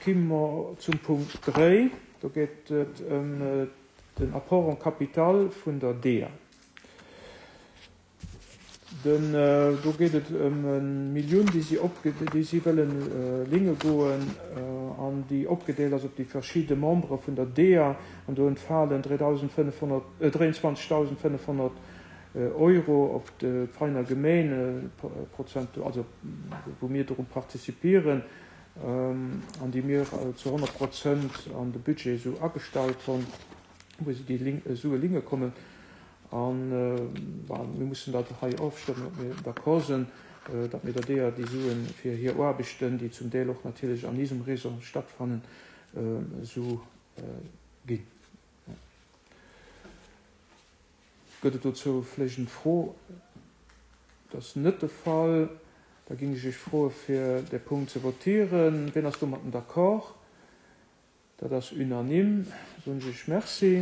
Komme mer zum Punkt 3. Do geet et ëm den Apport en capital vun der DEA. Den, do geet et ëm e Millioun, déi si opge, déi si wëllen linge goen an déi opgedeelt ass op déi verschidde Membere vun der DEA. An do entfalen 3.500, 23.500 Euro op d'Veiner Gemeen, Prozent, also wou mir doru participieren an déi mir zu 100 Prozent an de Budget esou agestallt hunn, wou se déi Sue linge kommen. A mir mussen dat hei ofstëmmen, ob mir d'accord sinn, datt mir der deeër déi Sue fir hir Aarbechten, déi zum Deel och natierlech an isem Réseau stattfannen, esou ginn. Gëtt et dozou vläicht eng Fro? Dat ass net de Fall. Da géing ech Iech froe fir dee Punkt ze votieren. Wien ass domatten d'accord? Dat ass unanime. Soen ech Iech Merci.